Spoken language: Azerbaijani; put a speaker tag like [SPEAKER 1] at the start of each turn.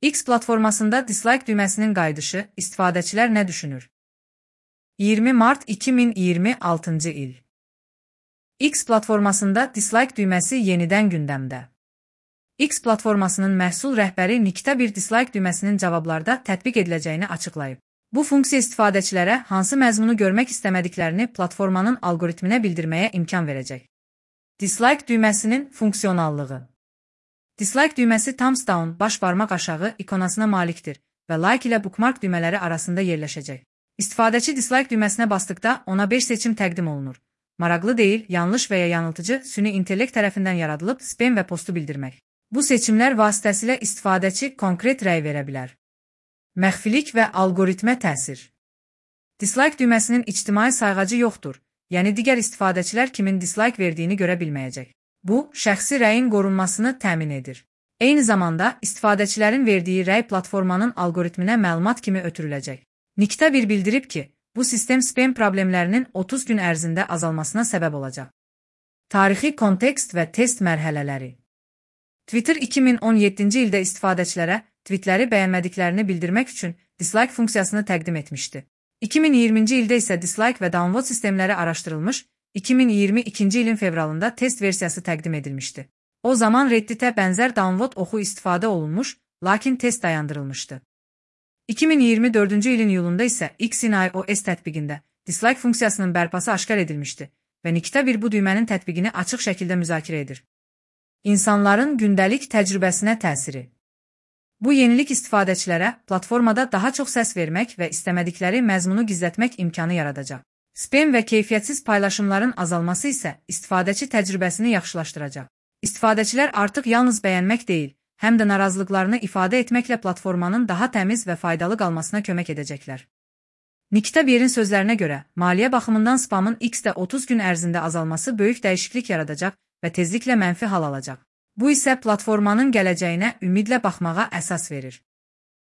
[SPEAKER 1] X platformasında dislike düyməsinin qayıdışı, istifadəçilər nə düşünür? 20 mart 2026 il. X platformasında dislike düyməsi yenidən gündəmdə. X platformasının məhsul rəhbəri Nikdə bir dislike düyməsinin cavablarda tətbiq ediləcəyini açıqlayıb. Bu funksiya istifadəçilərə hansı məzmunu görmək istəmədiklərini platformanın algoritminə bildirməyə imkan verəcək. Dislike düyməsinin funksionallığı. Dislike düyməsi thumbs down baş barmaq aşağı ikonasına malikdir və like ilə bookmark düymələri arasında yerləşəcək. İstifadəçi dislike düyməsinə basdıqda ona 5 seçim təqdim olunur. Maraqlı deyil, yanlış və ya yanıltıcı süni intellekt tərəfindən yaradılıb spam və postu bildirmək. Bu seçimlər vasitəsilə istifadəçi konkret rəy verə bilər. Məxfilik və algoritmə təsir. Dislike düyməsinin ictimai sayğacı yoxdur, yəni digər istifadəçilər kimin dislike verdiyini görə bilməyəcək. Bu, şəxsi rəyin qorunmasını təmin edir. Eyni zamanda, istifadəçilərin verdiyi rəy platformanın algoritminə məlumat kimi ötürüləcək. Nikdə bir bildirib ki, bu sistem spam problemlərinin 30 gün ərzində azalmasına səbəb olacaq. Tarixi kontekst və test mərhələləri. Twitter 2017-ci ildə istifadəçilərə tweetləri bəyənmədiklərini bildirmək üçün dislike funksiyasını təqdim etmişdi. 2020-ci ildə isə dislike və downvote sistemləri araşdırılmış, 2022-ci ilin fevralında test versiyası təqdim edilmişdi. O zaman Redditə bənzər downvote oxu istifadə olunmuş, lakin test dayandırılmışdı. 2024-cü ilin iyulunda isə X-in iOS tətbiqində dislike funksiyasının bərpası aşkar edilmişdi və Nikdə bir bu düymənin tətbiqini açıq şəkildə müzakirə edir. İnsanların gündəlik təcrübəsinə təsiri. Bu yenilik istifadəçilərə platformada daha çox səs vermək və istəmədikləri məzmunu gizlətmək imkanı yaradacaq. Spam və keyfiyyətsiz paylaşımların azalması isə istifadəçi təcrübəsini yaxşılaşdıracaq. İstifadəçilər artıq yalnız bəyənmək deyil, həm də narazılıqlarını ifadə etməklə platformanın daha təmiz və faydalı qalmasına kömək edəcəklər. Nikdə birin sözlərinə görə, maliyyə baxımından spamın X-də 30 gün ərzində azalması böyük dəyişiklik yaradacaq və tezliklə mənfi hal alacaq. Bu isə platformanın gələcəyinə ümidlə baxmağa əsas verir.